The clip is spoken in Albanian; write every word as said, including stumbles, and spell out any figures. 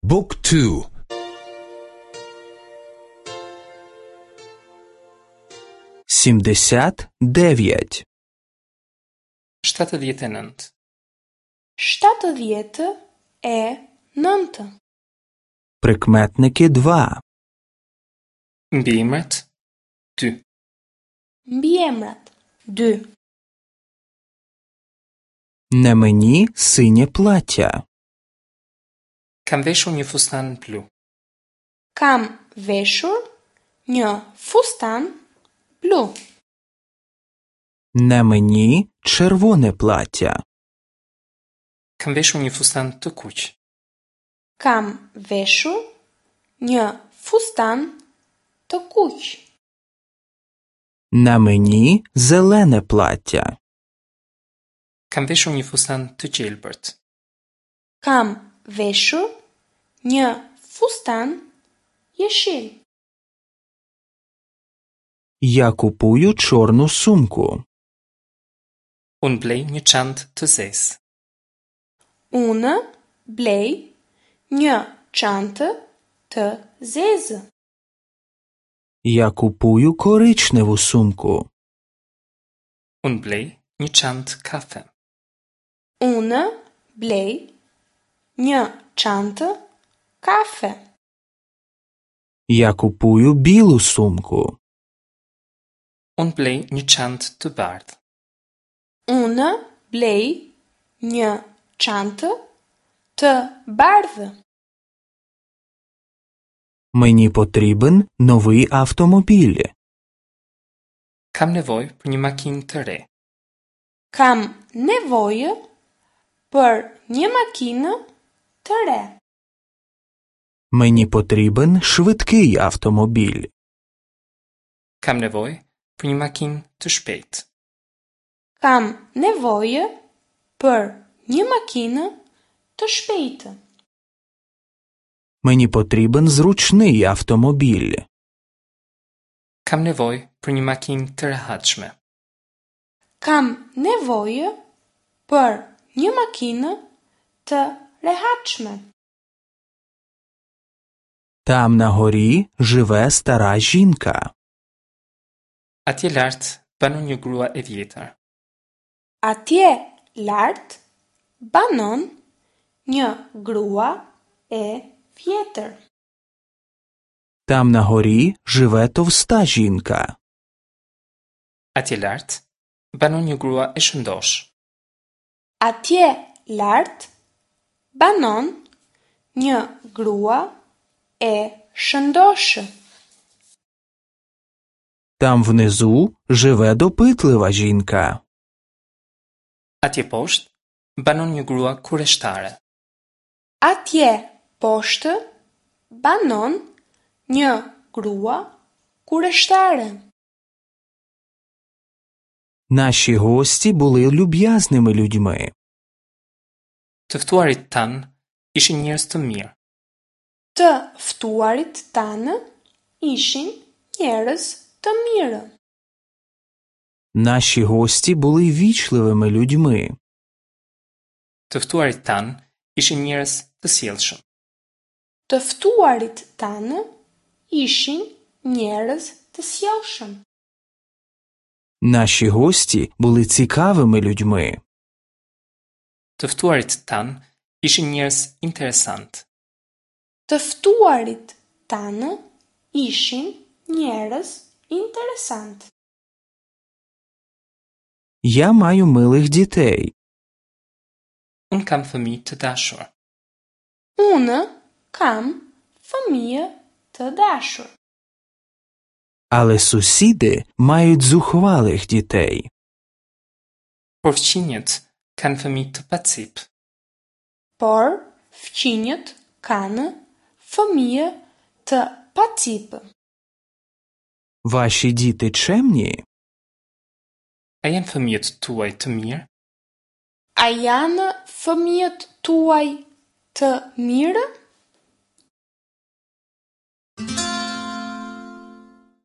Book two. Сімдесят дев'ять. Shtatëdhjetë e nëntë. Shtatëdhjetë e nëntë. Прикметники два. Mbiemrat dy. Mbiemrat dy. На мені синє плаття. Kam veshur një fustan blu. Kam veshur një fustan blu. На мені червоне плаття. Kam veshur një fustan të kuq. Kam veshur një fustan të kuq. На мені зелене плаття. Kam veshur një fustan të gjelbërt. Kam veshur një fustan jeshil. Я купую чорну сумку. Unë blej një çantë të zezë. Unë blej një çantë të zezë. Я купую коричневу сумку. Unë blej një çantë kafe. Unë blej një çantë kafe. Я купую білу сумку. Unë blej një çantë të bardhë. Unë blej një çantë të bardhë. Мені потрібен новий автомобіль. Kam nevojë për një makinë të re. Kam nevojë për një makinë të re. Мені потрібен швидкий автомобіль. Kam nevojë për një makinë të shpejtë. Kam nevojë për një makinë të shpejtë. Мені потрібен зручний автомобіль. Kam nevojë për një makinë të rehatshme. Kam nevojë për një makinë të rehatshme. Там на горі живе стара жінка. Atje lart banon një grua e vjetër. Atje lart banon një grua e vjetër. Там на горі живе товста жінка. Atje lart banon një grua e shëndoshë. Atje lart banon një grua e shëndoshë. Там внизу живе допитлива жінка. Atje poshtë banon një grua kureshtare. Atje poshtë banon një grua kureshtare. Наші гості були люб'язними людьми. Të ftuarit tanë ishin njerëz të mirë. Të ftuarit tanë ishin njerëz të mirë. Наші гості були ввічливими людьми. Të ftuarit tanë ishin njerëz të sjellshëm. Të ftuarit tanë ishin njerëz të sjellshëm. Наші гості були цікавими людьми. Të ftuarit tanë ishin njerëz interesant. Të ftuarit tanë ishin njerëz interesant. Я маю милих дітей. Unë kam fëmijë të dashur. Unë kam fëmijë të dashur. Але сусіди мають зухвалих дітей. Por fqinjët kanë fëmijë të pacip. Por fqinjët kanë fëmijë të pacip. Ваші діти чемні? A janë fëmijët tuaj të mirë? A janë fëmijët tuaj të mirë?